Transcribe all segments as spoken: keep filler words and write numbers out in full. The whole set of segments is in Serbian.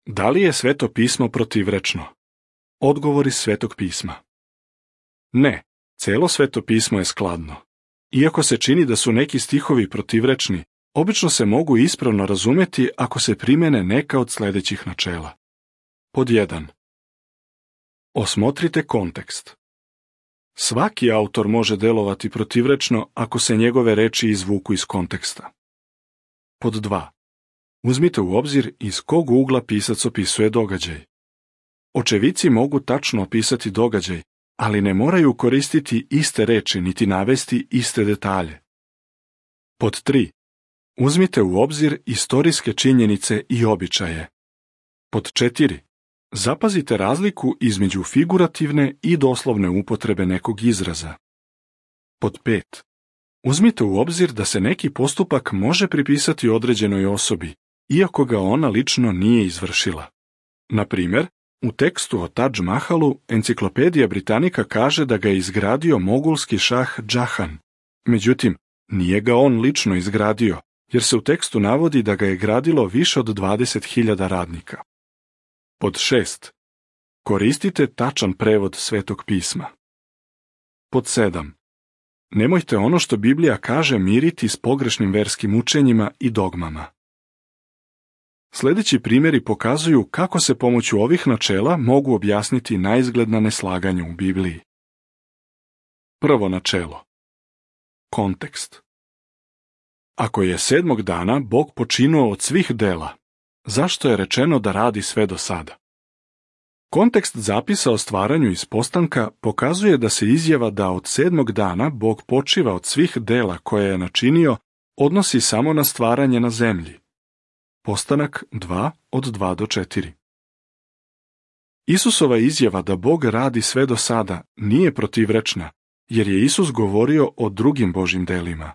Da li je Sveto pismo protivrečno? Odgovor iz Svetog pisma. Ne, celo Sveto pismo je skladno. Iako se čini da su neki stihovi protivrečni, obično se mogu ispravno razumeti ako se primene neka od sljedećih načela. Pod jedan. Osmotrite kontekst. Svaki autor može delovati protivrečno ako se njegove reči izvuku iz konteksta. Pod dva. Uzmite u obzir iz kog ugla pisac opisuje događaj. Očevici mogu tačno opisati događaj, ali ne moraju koristiti iste reči niti navesti iste detalje. Pod tri. Uzmite u obzir istorijske činjenice i običaje. Pod četiri. Zapazite razliku između figurativne i doslovne upotrebe nekog izraza. Pod pet. Uzmite u obzir da se neki postupak može pripisati određenoj osobi, iako ga ona lično nije izvršila. Na primjer, u tekstu o Tadž Mahalu Enciklopedija Britanika kaže da ga je izgradio mogulski šah Džahan. Međutim, nije ga on lično izgradio, jer se u tekstu navodi da ga je gradilo više od dvadeset hiljada radnika. Pod šest. Koristite tačan prevod Svetog pisma. Pod sedam. Nemojte ono što Biblija kaže miriti s pogrešnim verskim učenjima i dogmama. Sljedeći primjeri pokazuju kako se pomoću ovih načela mogu objasniti naizgledna neslaganja u Bibliji. Prvo načelo. Kontekst. Ako je sedmog dana Bog počinuo od svih dela, zašto je rečeno da radi sve do sada? Kontekst zapisa o stvaranju iz postanka pokazuje da se izjava da od sedmog dana Bog počiva od svih dela koje je načinio odnosi samo na stvaranje na zemlji. Postanak dva od dva do četiri. Isusova izjava da Bog radi sve do sada nije protivrečna, jer je Isus govorio o drugim Božjim delima.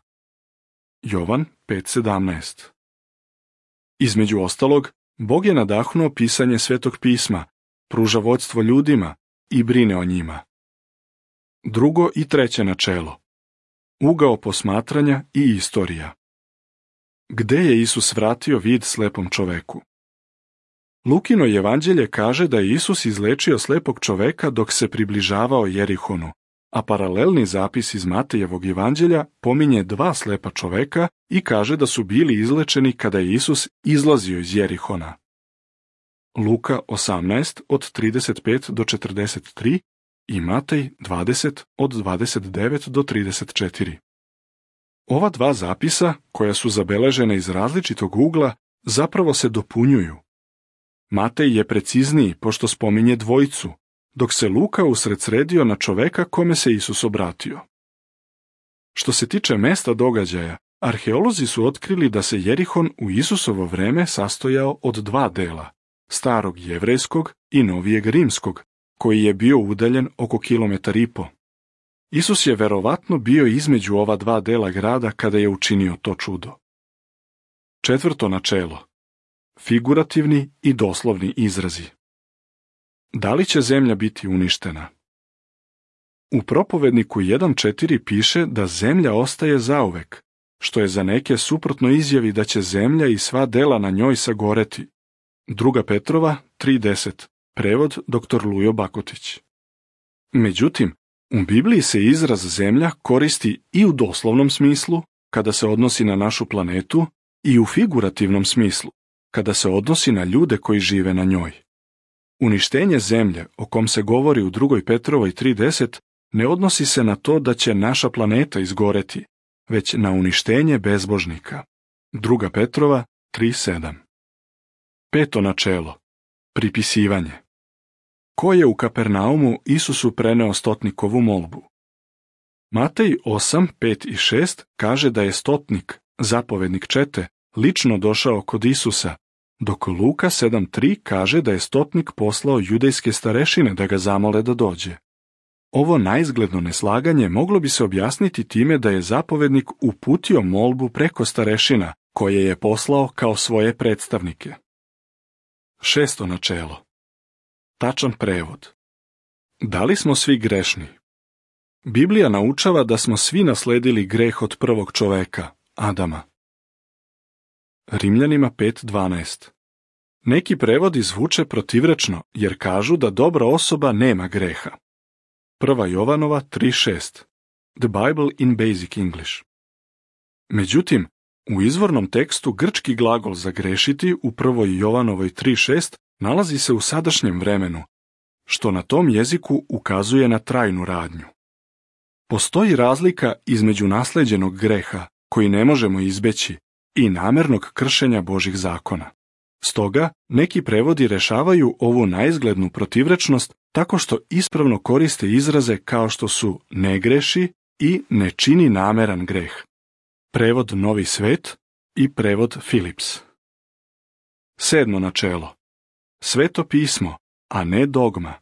Jovan pet sedamnaest. Između ostalog, Bog je nadahnuo pisanje Svetog pisma, pruža vodstvo ljudima i brine o njima. Drugo i treće načelo. Ugao posmatranja i istorija. Gde je Isus vratio vid slepom čoveku? Lukino evanđelje kaže da je Isus izlečio slepog čoveka dok se približavao Jerihonu, a paralelni zapis iz Matejevog evanđelja pominje dva slepa čoveka i kaže da su bili izlečeni kada je Isus izlazio iz Jerihona. Luka osamnaest od trideset pet do četrdeset tri i Matej dvadeset od dvadeset devet do trideset četiri. Ova dva zapisa, koja su zabeležena iz različitog ugla, zapravo se dopunjuju. Matej je precizniji pošto spominje dvojicu, dok se Luka usredsredio na čoveka kome se Isus obratio. Što se tiče mesta događaja, arheolozi su otkrili da se Jerihon u Isusovo vreme sastojao od dva dela, starog jevrejskog i novijeg rimskog, koji je bio udaljen oko kilometar i po. Isus je verovatno bio između ova dva dela grada kada je učinio to čudo. Četvrto načelo. Figurativni i doslovni izrazi. Da li će zemlja biti uništena? U propovedniku jedan četiri piše da zemlja ostaje zauvek, što je za neke suprotno izjavi da će zemlja i sva dela na njoj sagoreti. Druga Petrova tri deset, prevod doktor Lujo Bakotić. Međutim, u Bibliji se izraz zemlja koristi i u doslovnom smislu, kada se odnosi na našu planetu, i u figurativnom smislu, kada se odnosi na ljude koji žive na njoj. Uništenje zemlje, o kom se govori u drugoj Petrovoj tri deset, ne odnosi se na to da će naša planeta izgoreti, već na uništenje bezbožnika. Druga Petrova tri sedam. Peto načelo. Pripisivanje. Ko je u Kapernaumu Isusu preneo stotnikovu molbu? Matej osam pet i šest kaže da je stotnik, zapovednik čete, lično došao kod Isusa, dok Luka sedam tri kaže da je stotnik poslao judejske starešine da ga zamole da dođe. Ovo naizgledno neslaganje moglo bi se objasniti time da je zapovednik uputio molbu preko starešina, koje je poslao kao svoje predstavnike. Šesto načelo. Tačan prevod. Da li smo svi grešni? Biblija naučava da smo svi nasledili greh od prvog čoveka, Adama. Rimljanima pet dvanaest. Neki prevodi zvuče protivrečno jer kažu da dobra osoba nema greha. Prva Jovanova tri šest. The Bible in Basic English. Međutim, u izvornom tekstu grčki glagol za grešiti u prvoj Jovanovoj tri šest nalazi se u sadašnjem vremenu, što na tom jeziku ukazuje na trajnu radnju. Postoji razlika između nasleđenog greha, koji ne možemo izbeći, i namernog kršenja Božih zakona. Stoga, neki prevodi rešavaju ovu naizglednu protivrečnost tako što ispravno koriste izraze kao što su ne greši i ne čini nameran greh. Prevod Novi svet i prevod Philips. Sedmo načelo. Sveto pismo, a ne dogma.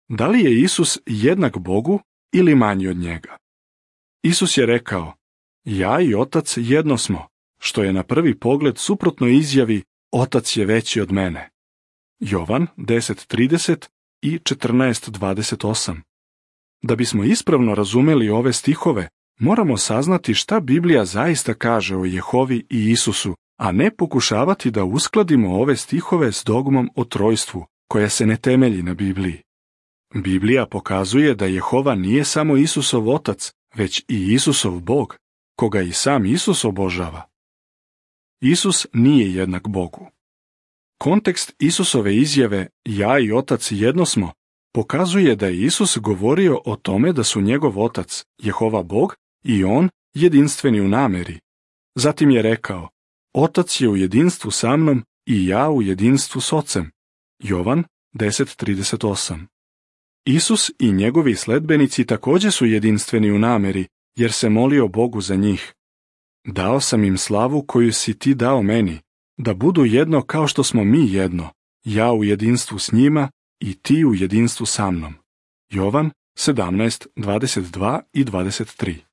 Da li je Isus jednak Bogu ili manji od njega? Isus je rekao, ja i Otac jedno smo, što je na prvi pogled suprotno izjavi Otac je veći od mene. Jovan deset trideset i četrnaest dvadeset osam. Da bismo ispravno razumeli ove stihove, moramo saznati šta Biblija zaista kaže o Jehovi i Isusu, a ne pokušavati da uskladimo ove stihove s dogmom o trojstvu, koja se ne temelji na Bibliji. Biblija pokazuje da Jehova nije samo Isusov otac, već i Isusov Bog, koga i sam Isus obožava. Isus nije jednak Bogu. Kontekst Isusove izjave ja i Otac jedno smo pokazuje da je Isus govorio o tome da su njegov otac, Jehova Bog, i on jedinstveni u nameri. Zatim je rekao, Otac je u jedinstvu sa mnom i ja u jedinstvu s Ocem. Jovan deset trideset osam. Isus i njegovi sledbenici također su jedinstveni u nameri, jer se molio Bogu za njih. Dao sam im slavu koju si ti dao meni, da budu jedno kao što smo mi jedno, ja u jedinstvu s njima i ti u jedinstvu sa mnom. Jovan sedamnaest dvadeset dva i dvadeset tri.